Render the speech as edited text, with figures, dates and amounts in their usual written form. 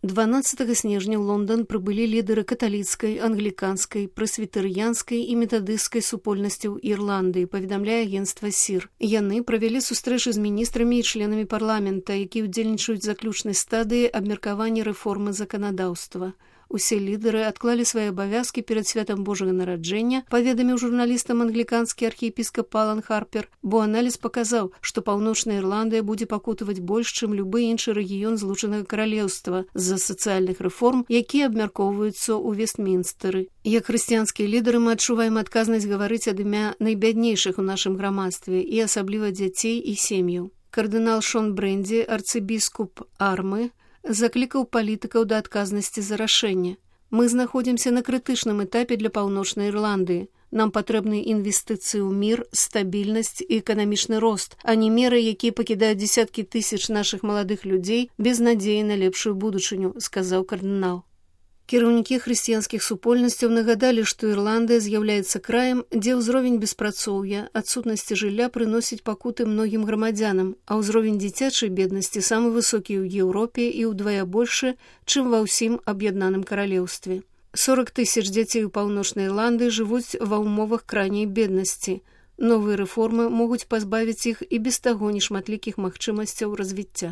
12 снежня ў Лондан прыбылі лідары каталіцкай, англіканскай, прэсвітарыянскай і метадысцкай супольнасцяў Ірландыі, паведамляе агенцтва СІР. Яны правялі сустрэчы з міністрамі і членамі парламента, які ўдзельнічаюць заключнай стадыі абмеркавання рэформы заканадаўства. Усе лідары адклалі свае абавязкі перад святам Божага нараджэння, паведаміў журналістам англіканскі архіепіскап Алан Харпер, бо аналіз паказаў, што Паўночная Ірландыя будзе пакутаваць больш, чым любы іншы рэгіён Злучанага Каралеўства з-за сацыяльных рэформ, якія абмяркоўваюцца ў Вестмінстэры. Як хрысціянскія лідары мы адчуваем адказнасць гаварыць ад імя найбяднейшых у нашым грамадстве і асабліва дзяцей і сем'яў. Кардынал Шон Брэндзі, арцыбіскуп Армы, заклікаў палітыкаў да адказнасці за рашэнне. Мы знаходзімся на крытычным этапе для Паўночнай Ірландыі. Нам патрэбны інвестыцыі ў мір, стабільнасць і эканамічны рост, а не меры, якія пакідаюць дзесяткі тысяч нашых маладых людзей без надзеі на лепшую будучыню, сказаў кардынал. Кіраўнікі хрысціянскіх супольнасцяў нагадалі, што Ірландыя з'яўляецца краем, дзе ўзровень беспрацоўя, адсутнасці жылля прыносіць пакуты многім грамадзянам, а ўзровень дзіцячай беднасці самы высокі ў Еўропе і ўдвая большы, чым ва ўсім аб'яднаным каралеўстве. 40 000 дзяцей у Паўночнай Ірландыі жывуць ва ўмовах крайняй беднасці. Новыя рэформы могуць пазбавіць іх і без таго нешматлікіх магчымасцяў развіцця.